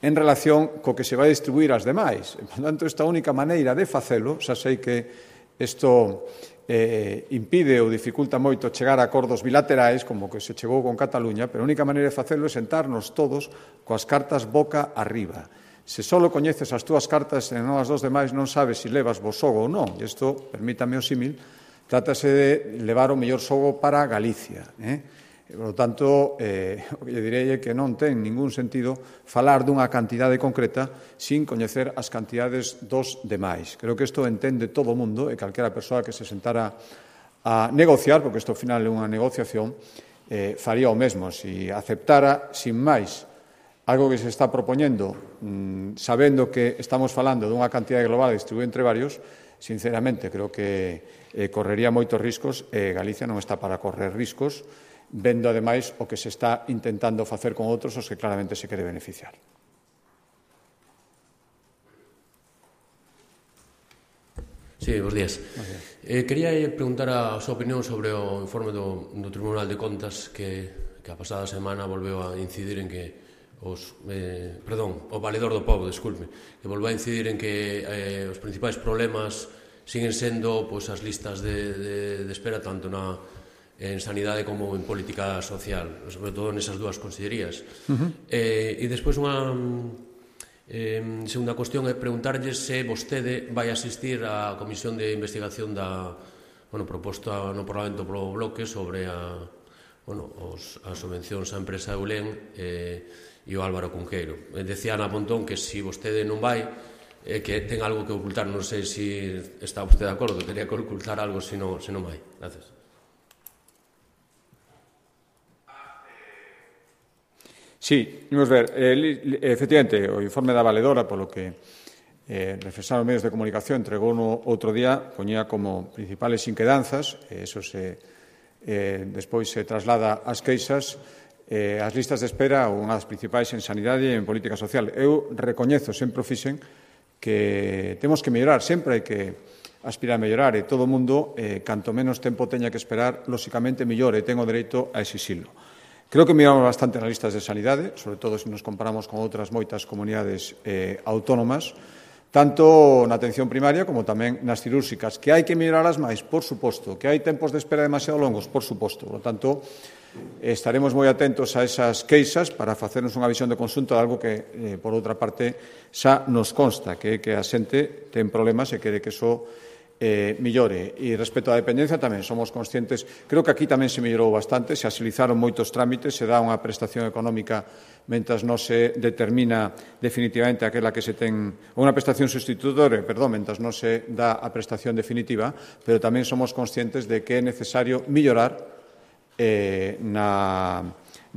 en relación co que se vai distribuir as demais. Por tanto, esta única maneira de facelo, xa sei que isto eh, impide ou dificulta moito chegar a acordos bilaterais, como que se chegou con Cataluña, pero a única maneira de facelo é sentarnos todos coas cartas boca arriba. Se só coñeces as túas cartas e non as dos demais, non sabes se levas vos xogo ou non. E isto, permítame o símil, trátase de levar o mellor xogo para Galicia. Eh? Por lo tanto, eh, o que lle direi é que non ten ningún sentido falar dunha cantidade concreta sin coñecer as cantidades dos demais. Creo que isto entende todo o mundo e calquera persoa que se sentara a negociar, porque isto ao final é unha negociación, eh, faría o mesmo. Si aceptara, sin máis, algo que se está propoñendo, mmm, sabendo que estamos falando dunha cantidade global distribuída entre varios, sinceramente, creo que eh, correría moitos riscos e Galicia non está para correr riscos, vendo, ademais, o que se está intentando facer con outros os que claramente se quere beneficiar. Sí, bons días. Bons días. Eh, quería preguntar a súa opinión sobre o informe do, do Tribunal de Contas que, que a pasada semana volveu a incidir en que os, eh, perdón, o Valedor do Pobo, desculpe, que volveu a incidir en que eh, os principais problemas siguen sendo pois, as listas de, de, de espera tanto na en sanidade como en política social, sobre todo nesas dúas consellerías. Uh-huh. eh, e despois unha eh, segunda cuestión é preguntarlle se vostede vai asistir á comisión de investigación da, bueno, proposta no Parlamento polo Bloque sobre a, bueno, os, as subvencións á empresa Eulen eh, e o Álvaro Cunqueiro. Decía Ana Pontón que se si vostede non vai, eh, que ten algo que ocultar, non sei se si está vostede de acordo, teria que ocultar algo se non, se non vai. Gracias. Sí, imos ver, eh, efectivamente, o informe da Valedora, polo que eh, reflexaron os medios de comunicación, entregou no outro día, poñía como principales inquedanzas, e eso se, eh, despois se traslada ás queixas, eh, as listas de espera, unha das principais en sanidade e en política social. Eu recoñezo, sempre o fixen, que temos que mellorar, sempre hai que aspirar a mellorar, e todo o mundo, eh, canto menos tempo teña que esperar, lóxicamente mellor, e ten o dereito a exixilo. Creo que miramos bastante nas listas de sanidade, sobre todo se nos comparamos con outras moitas comunidades eh, autónomas, tanto na atención primaria como tamén nas cirúrxicas, que hai que melloralas máis, por suposto, que hai tempos de espera demasiado longos, por suposto. Por lo tanto, estaremos moi atentos a esas queixas para facernos unha visión de conxunto de algo que, eh, por outra parte, xa nos consta, que é que a xente ten problemas e quere que iso Eh, millore. E respecto á dependencia tamén somos conscientes, creo que aquí tamén se mellorou bastante, se agilizaron moitos trámites, se dá unha prestación económica mentras non se determina definitivamente aquela que se ten, unha prestación sustitutoria, perdón, mentras non se dá a prestación definitiva, pero tamén somos conscientes de que é necesario mellorar eh, na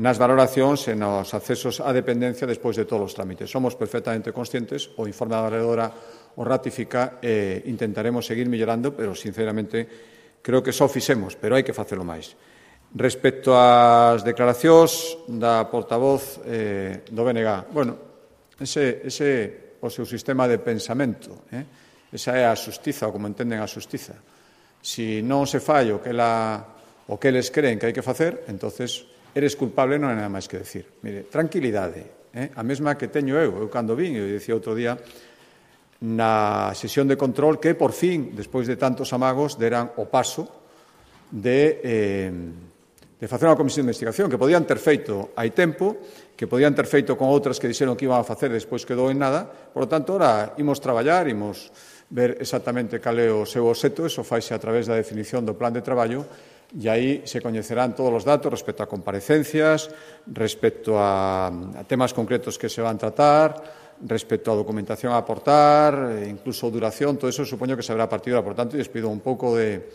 nas valoracións e nos accesos á dependencia despois de todos os trámites. Somos perfectamente conscientes, o informe da valedora o ratifica e intentaremos seguir mellorando, pero, sinceramente, creo que só fixemos, pero hai que facelo máis. Respecto ás declaracións da portavoz eh, do B N G, bueno, ese, ese o seu sistema de pensamento, eh? esa é a xustiza, ou como entenden a xustiza. Si non se fai o que, la, o que eles creen que hai que facer, entonces eres culpable, non hai nada máis que decir. Mire, tranquilidade, eh? a mesma que teño eu, eu cando vin, eu dicía outro día, na sesión de control que, por fin, despois de tantos amagos, deran o paso de, eh, de facer unha comisión de investigación que podían ter feito hai tempo, que podían ter feito con outras que dixeron que iban a facer despois quedou en nada. Por lo tanto, ora imos traballar, imos ver exactamente cal é o seu obxecto, eso faise a través da definición do plan de traballo, e aí se coñecerán todos os datos respecto a comparecencias, respecto a, a temas concretos que se van tratar, respecto á documentación a aportar, incluso duración, todo eso supoño que se habrá a partir de ahora. Por tanto, lles pido un pouco de,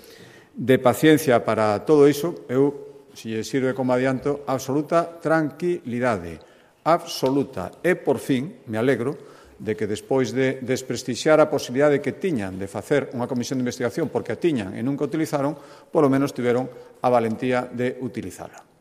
de paciencia para todo iso. Eu se lle sirve como adianto, absoluta tranquilidade, absoluta. E, por fin, me alegro de que despois de desprestixiar a posibilidade que tiñan de facer unha comisión de investigación porque a tiñan e nunca utilizaron, polo menos tiveron a valentía de utilizala.